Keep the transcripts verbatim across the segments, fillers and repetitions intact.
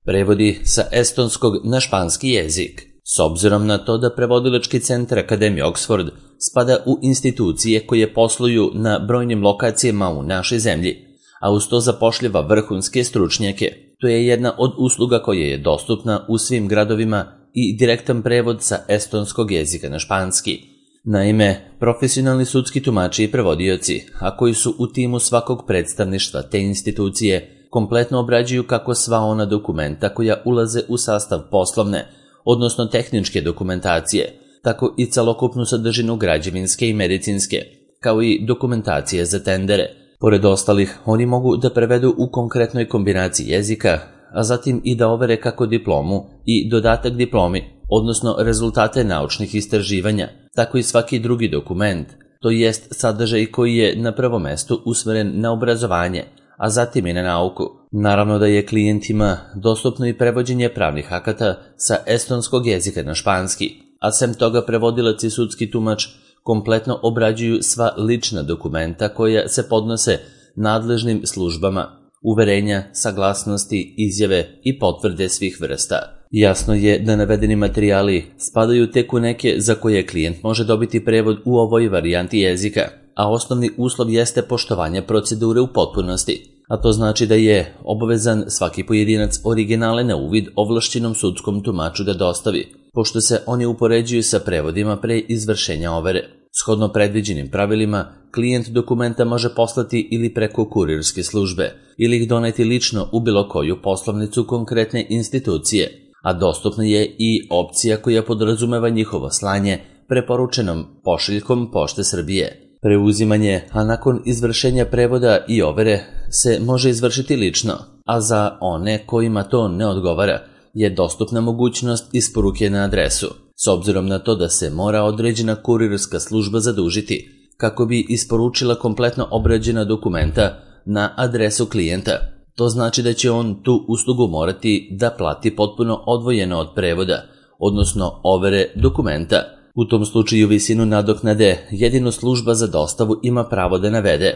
Prevodi sa estonskog na španski jezik. S obzirom na to da prevodilački centar Akademije Oxford spada u institucije koje posluju na brojnim lokacijama u našoj zemlji, a uz to zapošljava vrhunske stručnjake. To je jedna od usluga koja je dostupna u svim gradovima i direktan prevod sa estonskog jezika na španski. Naime, profesionalni sudski tumači i prevodioci, a koji su u timu svakog predstavništva te institucije, kompletno obrađuju kako sva ona dokumenta koja ulaze u sastav poslovne, odnosno tehničke dokumentacije, tako i celokupnu sadržinu građevinske i medicinske, kao i dokumentacije za tendere. Pored ostalih, oni mogu da prevedu u konkretnoj kombinaciji jezika, a zatim i da overe kako diplomu i dodatak diplomi, odnosno rezultate naučnih istraživanja, tako i svaki drugi dokument, to jest sadržaj koji je na prvom mestu usmeren na obrazovanje, a zatim i na nauku. Naravno da je klijentima dostupno i prevođenje pravnih akata sa estonskog jezika na španski, a sem toga prevodilac i sudski tumač kompletno obrađuju sva lična dokumenta koja se podnose nadležnim službama, uverenja, saglasnosti, izjave i potvrde svih vrsta. Jasno je da navedeni materijali spadaju tek u neke za koje klijent može dobiti prevod u ovoj varijanti jezika, a osnovni uslov jeste poštovanje procedure u potpunosti, a to znači da je obavezan svaki pojedinac originale na uvid ovlašćenom sudskom tumaču da dostavi, pošto se oni upoređuju sa prevodima pre izvršenja overe. Shodno predviđenim pravilima, klijent dokumenta može poslati ili preko kurirske službe, ili ih doneti lično u bilo koju poslovnicu konkretne institucije, a dostupna je i opcija koja podrazumeva njihovo slanje preporučenom pošiljkom Pošte Srbije. Preuzimanje, a nakon izvršenja prevoda i overe, se može izvršiti lično, a za one kojima to ne odgovara je dostupna mogućnost isporuke na adresu, s obzirom na to da se mora određena kurirska služba zadužiti kako bi isporučila kompletno obrađena dokumenta na adresu klijenta. To znači da će on tu uslugu morati da plati potpuno odvojeno od prevoda, odnosno overe dokumenta. U tom slučaju visinu nadoknade jedino služba za dostavu ima pravo da navede,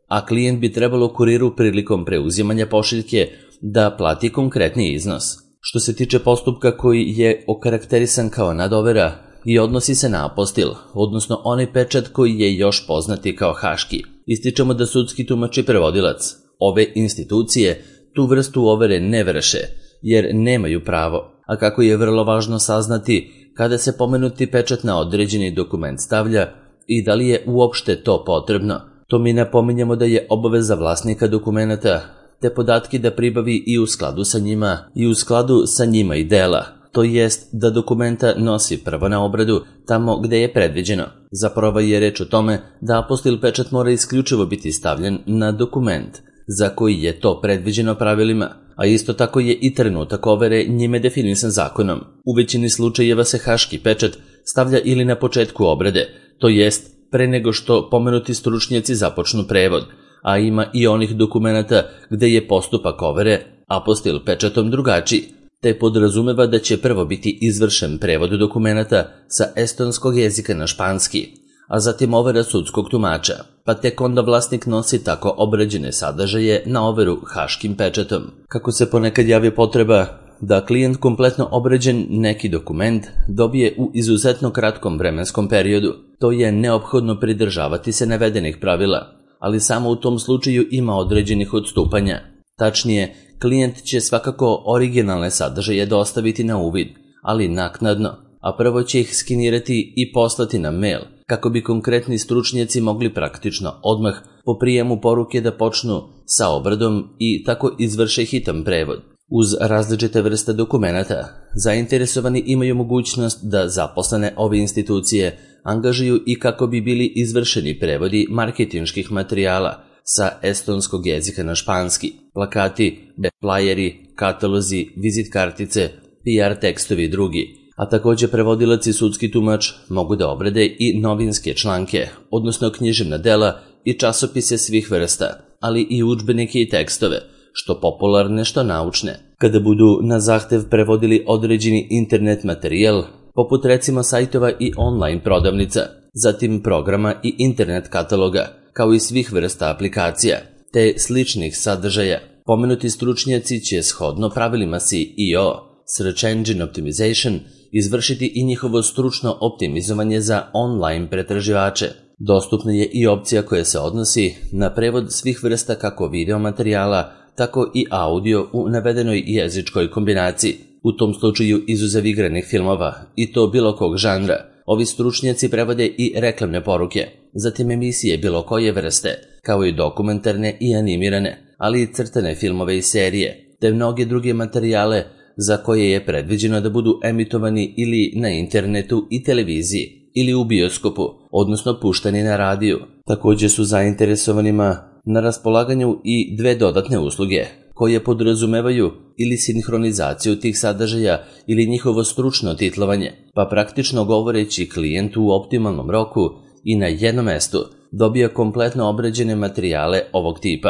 a klijent bi trebalo kuriru prilikom preuzimanja pošiljke da plati konkretni iznos. Što se tiče postupka koji je okarakterisan kao nadovera i odnosi se na apostil, odnosno onaj pečat koji je još poznati kao haški, ističemo da sudski tumač i prevodilac ove institucije tu vrstu overe ne vrše, jer nemaju pravo, a kako je vrlo važno saznati kada se pomenuti pečat na određeni dokument stavlja i da li je uopšte to potrebno. To mi napominjamo da je obaveza vlasnika dokumenta te podatke da pribavi i u skladu sa njima i u skladu sa njima i dela, to jest da dokumenta nosi prvo na obradu tamo gde je predviđeno. Zapravo je reč o tome da apostil pečat mora isključivo biti stavljen na dokument za koji je to predviđeno pravilima, a isto tako je i trenutak overe njime definisan zakonom. U većini slučajeva se haški pečat stavlja ili na početku obrade, to jest pre nego što pomenuti stručnjaci započnu prevod, a ima i onih dokumenata gde je postupak overe apostil pečatom drugačiji, te podrazumeva da će prvo biti izvršen prevod dokumenta sa estonskog jezika na španski, a zatim overa sudskog tumača, pa tek onda vlasnik nosi tako obrađene sadržaje na overu haškim pečatom. Kako se ponekad javi potreba da klijent kompletno obrađen neki dokument dobije u izuzetno kratkom vremenskom periodu, to je neophodno pridržavati se navedenih pravila, ali samo u tom slučaju ima određenih odstupanja. Tačnije, klijent će svakako originalne sadržaje dostaviti na uvid, ali naknadno, a prvo će ih skenirati i poslati na mail, kako bi konkretni stručnjaci mogli praktično odmah po prijemu poruke da počnu sa obradom i tako izvrše hitan prevod. Uz različite vrste dokumenata, zainteresovani imaju mogućnost da zaposlene ove institucije angažuju i kako bi bili izvršeni prevodi marketinških materijala sa estonskog jezika na španski, plakati, flajeri, katalozi, vizit kartice, P R tekstovi i drugi, a takođe prevodilac i sudski tumač mogu da obrade i novinske članke, odnosno književna dela i časopise svih vrsta, ali i udžbenike i tekstove, što popularne, što naučne. Kada budu na zahtev prevodili određeni internet materijal, poput recimo sajtova i online prodavnica, zatim programa i internet kataloga, kao i svih vrsta aplikacija, te sličnih sadržaja, Pomenuti stručnjaci će shodno pravilima S E O, Search Engine Optimization, izvršiti i njihovo stručno optimizovanje za online pretraživače. Dostupna je i opcija koja se odnosi na prevod svih vrsta kako video materijala, tako i audio u navedenoj jezičkoj kombinaciji. U tom slučaju izuzev igranih filmova, i to bilo kog žanra, ovi stručnjaci prevode i reklamne poruke, zatim emisije bilo koje vrste, kao i dokumentarne i animirane, ali i crtane filmove i serije, te mnoge druge materijale za koje je predviđeno da budu emitovani ili na internetu i televiziji, ili u bioskopu, odnosno puštani na radiju. Također su zainteresovanima na raspolaganju i dve dodatne usluge, koje podrazumevaju ili sinhronizaciju tih sadržaja ili njihovo stručno titlovanje, pa praktično govoreći klijent u optimalnom roku i na jednom mestu dobija kompletno obrađene materijale ovog tipa.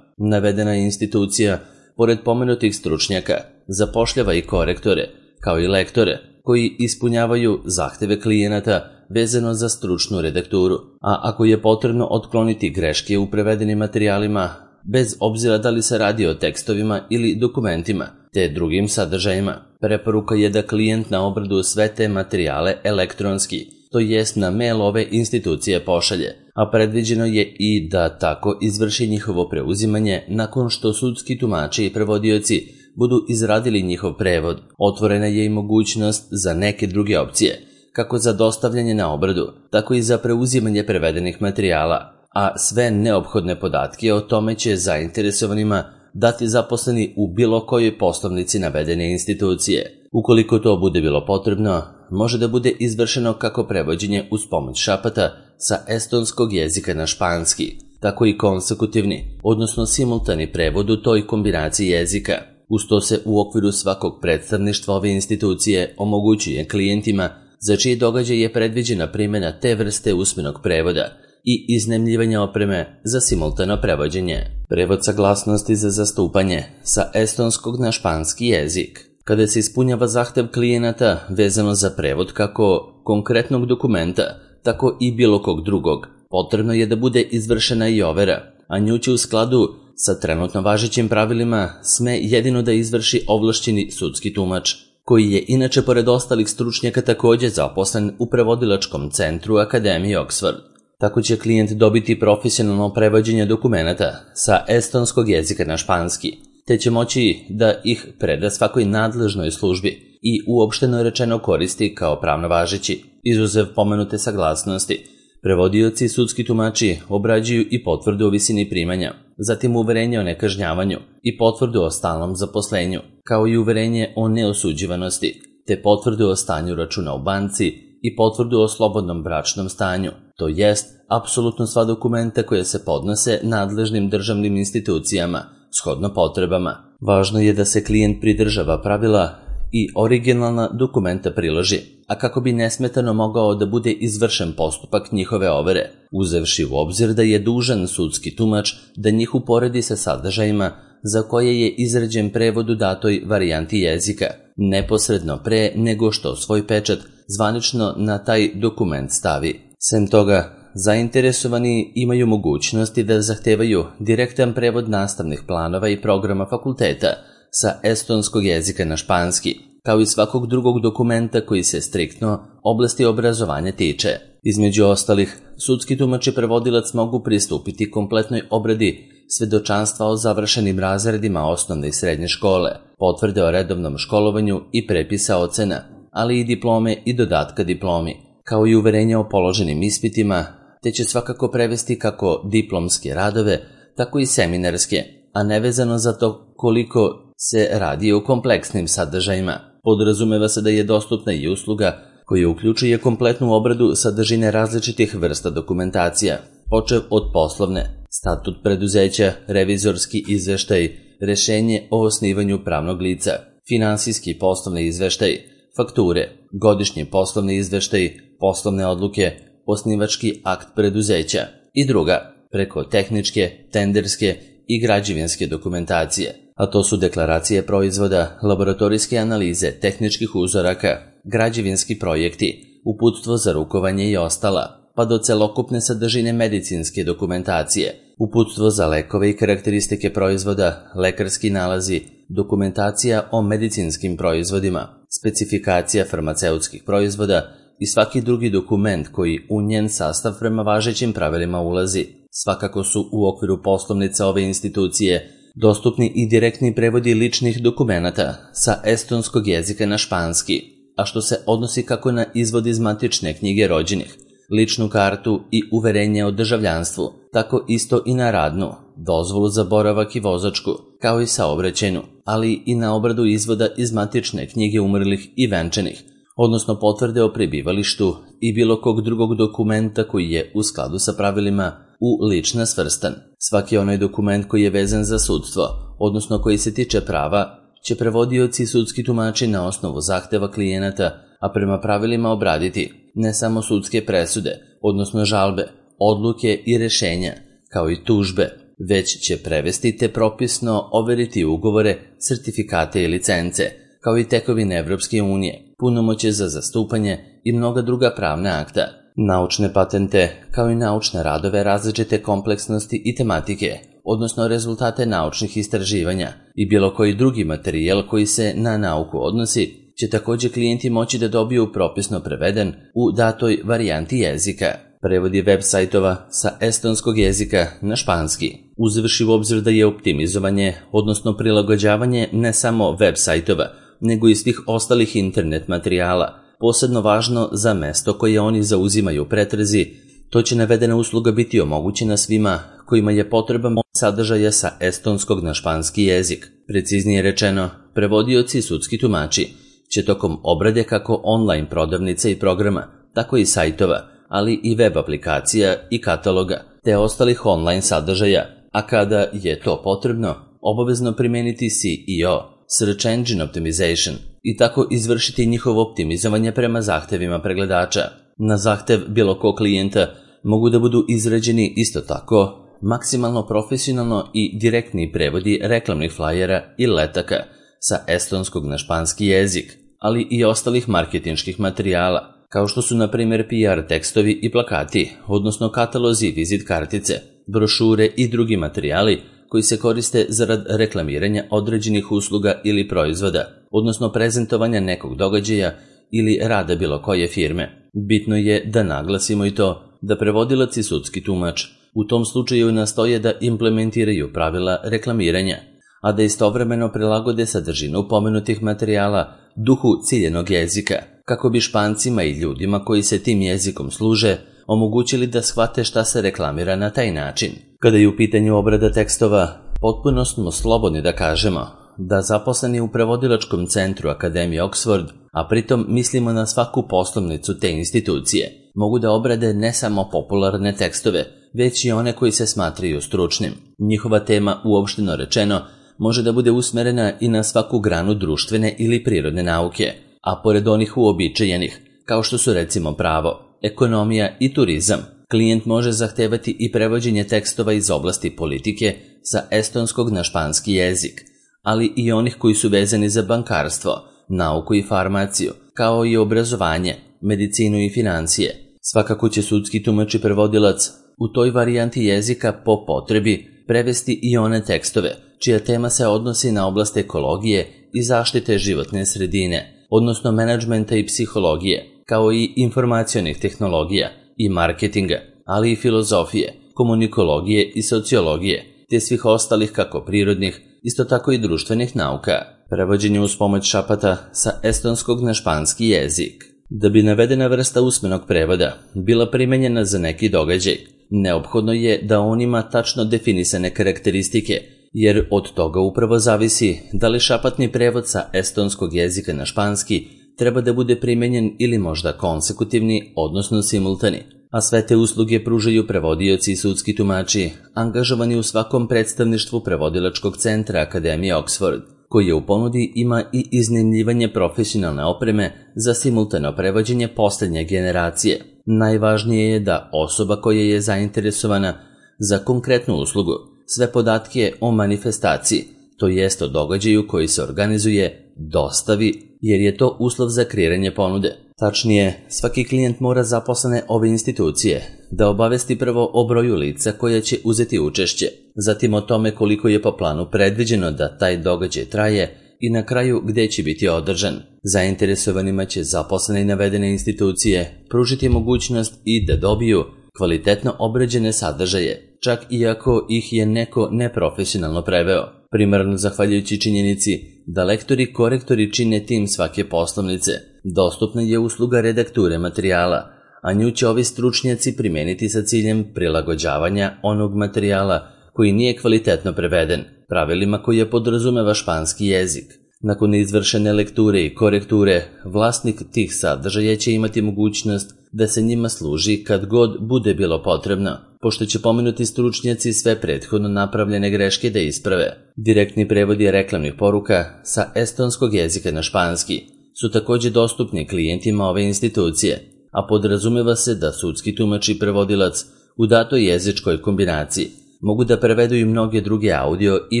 Navedena institucija, pored pomenutih stručnjaka, zapošljava i korektore, kao i lektore, koji ispunjavaju zahteve klijenata vezano za stručnu redakturu, a ako je potrebno otkloniti greške u prevedenim materijalima, bez obzira da li se radi o tekstovima ili dokumentima, te drugim sadržajima, preporuka je da klijent na obradu sve te materijale elektronski, to jest na mail ove institucije pošalje, a predviđeno je i da tako izvrši njihovo preuzimanje nakon što sudski tumači i prevodioci budu izradili njihov prevod. Otvorena je i mogućnost za neke druge opcije, kako za dostavljanje na obradu, tako i za preuzimanje prevedenih materijala, a sve neophodne podatke o tome će zainteresovanima dati zaposleni u bilo kojoj poslovnici navedene institucije. Ukoliko to bude bilo potrebno, može da bude izvršeno kako prevođenje uz pomoć šapata sa estonskog jezika na španski, tako i konsekutivni, odnosno simultani prevod u toj kombinaciji jezika. Uz to se u okviru svakog predstavništva ove institucije omogućuje klijentima za čiji događaj je predviđena primjena te vrste usmenog prevoda i iznajmljivanja opreme za simultano prevođenje. Prevod saglasnosti za zastupanje sa estonskog na španski jezik. Kada se ispunjava zahtev klijenata vezano za prevod kako konkretnog dokumenta, tako i bilo kog drugog, potrebno je da bude izvršena i overa, a nju će u skladu sa trenutno važećim pravilima sme jedino da izvrši ovlašćeni sudski tumač, koji je inače pored ostalih stručnjaka također zaposlen u prevodilačkom centru Akademije Oxford. Tako će klijent dobiti profesionalno prevođenje dokumenata sa estonskog jezika na španski, te će moći da ih preda svakoj nadležnoj službi i uopšteno rečeno koristi kao pravno važeći. Izuzev pomenute saglasnosti, prevodioci i sudski tumači obrađuju i potvrdu o visini primanja, zatim uverenje o nekažnjavanju i potvrdu o stalnom zaposlenju, kao i uverenje o neosuđivanosti, te potvrdu o stanju računa u banci i potvrdu o slobodnom bračnom stanju, to jest apsolutno sva dokumenta koja se podnose nadležnim državnim institucijama, shodno potrebama. Važno je da se klijent pridržava pravila i originalna dokumenta priloži, a kako bi nesmetano mogao da bude izvršen postupak njihove overe, uzevši u obzir da je dužan sudski tumač da njih uporedi sa sadržajima za koje je izrađen prevod u datoj varijanti jezika, neposredno pre nego što svoj pečat zvanično na taj dokument stavi. Sem toga, zainteresovani imaju mogućnosti da zahtevaju direktan prevod nastavnih planova i programa fakulteta sa estonskog jezika na španski, kao i svakog drugog dokumenta koji se striktno oblasti obrazovanja tiče. Između ostalih, sudski tumač i prevodilac mogu pristupiti kompletnoj obradi svedočanstva o završenim razredima osnovne i srednje škole, potvrde o redovnom školovanju i prepisa ocena, ali i diplome i dodatka diplomi, kao i uverenja o položenim ispitima, te će svakako prevesti kako diplomske radove, tako i seminarske, a nevezano za to koliko se radi o kompleksnim sadržajima. Podrazumeva se da je dostupna i usluga koja uključuje kompletnu obradu sadržine različitih vrsta dokumentacija, počev od poslovne, statut preduzeća, revizorski izveštaj, rešenje o osnivanju pravnog lica, finansijski poslovni izveštaj, fakture, godišnji poslovni izveštaj, poslovne odluke, osnivački akt preduzeća i druga, preko tehničke, tenderske i građevinske dokumentacije, a to su deklaracije proizvoda, laboratorijske analize, tehničkih uzoraka, građevinski projekti, uputstvo za rukovanje i ostala, pa do celokupne sadržine medicinske dokumentacije, uputstvo za lekove i karakteristike proizvoda, lekarski nalazi, dokumentacija o medicinskim proizvodima, specifikacija farmaceutskih proizvoda i svaki drugi dokument koji u njen sastav prema važećim pravilima ulazi. Svakako su u okviru poslovnica ove institucije dostupni i direktni prevodi ličnih dokumenata sa estonskog jezika na španski, a što se odnosi kako na izvod iz matične knjige rođenih, ličnu kartu i uverenje o državljanstvu, tako isto i na radnu, dozvolu za boravak i vozačku, kao i saobraćajnu, ali i na obradu izvoda iz matične knjige umrlih i venčanih, odnosno potvrde o prebivalištu i bilo kog drugog dokumenta koji je u skladu sa pravilima u lična svrstan. Svaki onaj dokument koji je vezan za sudstvo, odnosno koji se tiče prava, će prevodioci i sudski tumači na osnovu zahteva klijenata, a prema pravilima obraditi ne samo sudske presude, odnosno žalbe, odluke i rešenja, kao i tužbe, već će prevesti te propisno overiti ugovore, sertifikate i licence, kao i tekovine Evropske unije, punomoćje za zastupanje i mnoga druga pravna akta, naučne patente, kao i naučne radove različite kompleksnosti i tematike, odnosno rezultate naučnih istraživanja i bilo koji drugi materijal koji se na nauku odnosi, će također klijenti moći da dobiju propisno preveden u datoj varijanti jezika. Prevodi web sajtova sa estonskog jezika na španski, uzevši u obzir da je optimizovanje, odnosno prilagođavanje ne samo web sajtova, nego i svih ostalih internet materijala, posebno važno za mesto koje oni zauzimaju u pretrazi, to će navedena usluga biti omogućena svima kojima je potreban sadržaja sa estonskog na španski jezik. Preciznije rečeno, prevodioci i sudski tumači će tokom obrade kako online prodavnica i programa, tako i sajtova, ali i web aplikacija i kataloga, te ostalih online sadržaja, a kada je to potrebno, obavezno primeniti S E O, Search Engine Optimization, i tako izvršiti njihovo optimizovanje prema zahtevima pregledača. Na zahtev bilo kog klijenta mogu da budu izrađeni isto tako maksimalno profesionalno i direktni prevodi reklamnih flajera i letaka sa estonskog na španski jezik, ali i ostalih marketinških materijala, kao što su na primjer P R tekstovi i plakati, odnosno katalozi, vizit kartice, brošure i drugi materijali koji se koriste zarad reklamiranja određenih usluga ili proizvoda, odnosno prezentovanja nekog događaja ili rada bilo koje firme. Bitno je da naglasimo i to da prevodilac i sudski tumač u tom slučaju nastoje da implementiraju pravila reklamiranja, a da istovremeno prilagode sadržinu pomenutih materijala duhu ciljenog jezika, kako bi Špancima i ljudima koji se tim jezikom služe omogućili da shvate šta se reklamira na taj način. Kada je u pitanju obrada tekstova, potpuno smo slobodni da kažemo da zaposleni u prevodilačkom centru Akademije Oxford, a pritom mislimo na svaku poslovnicu te institucije, mogu da obrade ne samo popularne tekstove, već i one koji se smatraju stručnim. Njihova tema, uopšteno rečeno, može da bude usmerena i na svaku granu društvene ili prirodne nauke, a pored onih uobičajenih, kao što su recimo pravo, ekonomija i turizam, klijent može zahtevati i prevođenje tekstova iz oblasti politike sa estonskog na španski jezik, ali i onih koji su vezani za bankarstvo, nauku i farmaciju, kao i obrazovanje, medicinu i financije. Svakako će sudski tumač i prevodilac u toj varijanti jezika po potrebi prevesti i one tekstove čija tema se odnosi na oblast ekologije i zaštite životne sredine, odnosno menadžmenta i psihologije, kao i informacionih tehnologija i marketinga, ali i filozofije, komunikologije i sociologije, te svih ostalih kako prirodnih, isto tako i društvenih nauka. Prevođenje uz pomoć šapata sa estonskog na španski jezik. Da bi navedena vrsta usmenog prevoda bila primenjena za neki događaj, neophodno je da on ima tačno definisane karakteristike, jer od toga upravo zavisi da li šapatni prevod sa estonskog jezika na španski treba da bude primenjen ili možda konsekutivni, odnosno simultani, a sve te usluge pružaju prevodioci i sudski tumači angažovani u svakom predstavništvu prevodilačkog centra Akademije Oxford, koji u ponudi ima i iznajmljivanje profesionalne opreme za simultano prevođenje posljednje generacije. Najvažnije je da osoba koja je zainteresovana za konkretnu uslugu sve podatke o manifestaciji, to jest o događaju koji se organizuje, dostavi, jer je to uslov za kreiranje ponude. Tačnije, svaki klijent mora zaposlene ove institucije da obavesti prvo o broju lica koja će uzeti učešće, zatim o tome koliko je po planu predviđeno da taj događaj traje i na kraju gde će biti održan. Zainteresovanima će zaposlene i navedene institucije pružiti mogućnost i da dobiju kvalitetno obrađene sadržaje, čak i ako ih je neko neprofesionalno preveo. Primarno zahvaljujući činjenici da lektori-korektori čine tim svake poslovnice, dostupna je usluga redakture materijala, a nju će ovi stručnjaci primeniti sa ciljem prilagođavanja onog materijala koji nije kvalitetno preveden, pravilima koje podrazumeva španski jezik. Nakon izvršene lekture i korekture, vlasnik tih sadržaja će imati mogućnost da se njima služi kad god bude bilo potrebno, pošto će pomenuti stručnjaci sve prethodno napravljene greške da isprave. Direktni prevodi reklamnih poruka sa estonskog jezika na španski su takođe dostupni klijentima ove institucije, a podrazumeva se da sudski tumač i prevodilac u datoj jezičkoj kombinaciji mogu da prevedu i mnoge druge audio i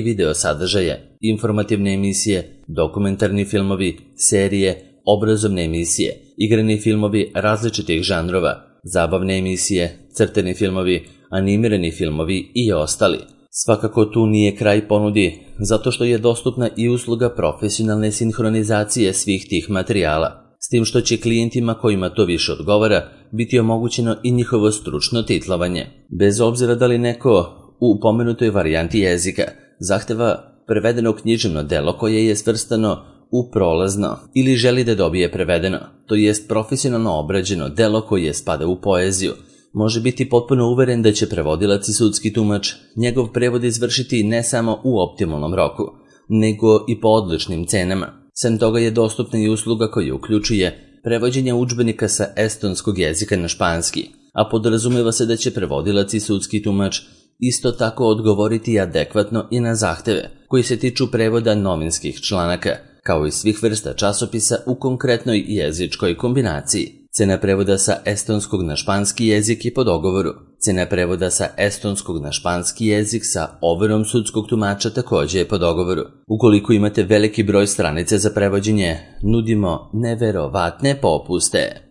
video sadržaje, informativne emisije, dokumentarni filmovi, serije, obrazovne emisije, igrani filmovi različitih žanrova, zabavne emisije, crteni filmovi, animirani filmovi i ostali. Svakako tu nije kraj ponudi, zato što je dostupna i usluga profesionalne sinhronizacije svih tih materijala, s tim što će klijentima kojima to više odgovara biti omogućeno i njihovo stručno titlovanje. Bez obzira da li neko u pomenutoj varijanti jezika zahteva prevedeno književno delo koje je svrstano u prolazno ili želi da dobije prevedeno, to jest profesionalno obrađeno delo koje spada u poeziju, može biti potpuno uveren da će prevodilac i sudski tumač njegov prevod izvršiti ne samo u optimalnom roku, nego i po odličnim cenama. Sem toga je dostupna i usluga koja uključuje prevođenje udžbenika sa estonskog jezika na španski, a podrazumeva se da će prevodilac i sudski tumač isto tako odgovoriti adekvatno i na zahteve koji se tiču prevoda novinskih članaka, kao i svih vrsta časopisa u konkretnoj jezičkoj kombinaciji. Cena prevoda sa estonskog na španski jezik je po dogovoru. Cena prevoda sa estonskog na španski jezik sa overom sudskog tumača takođe je po dogovoru. Ukoliko imate veliki broj stranice za prevođenje, nudimo neverovatne popuste.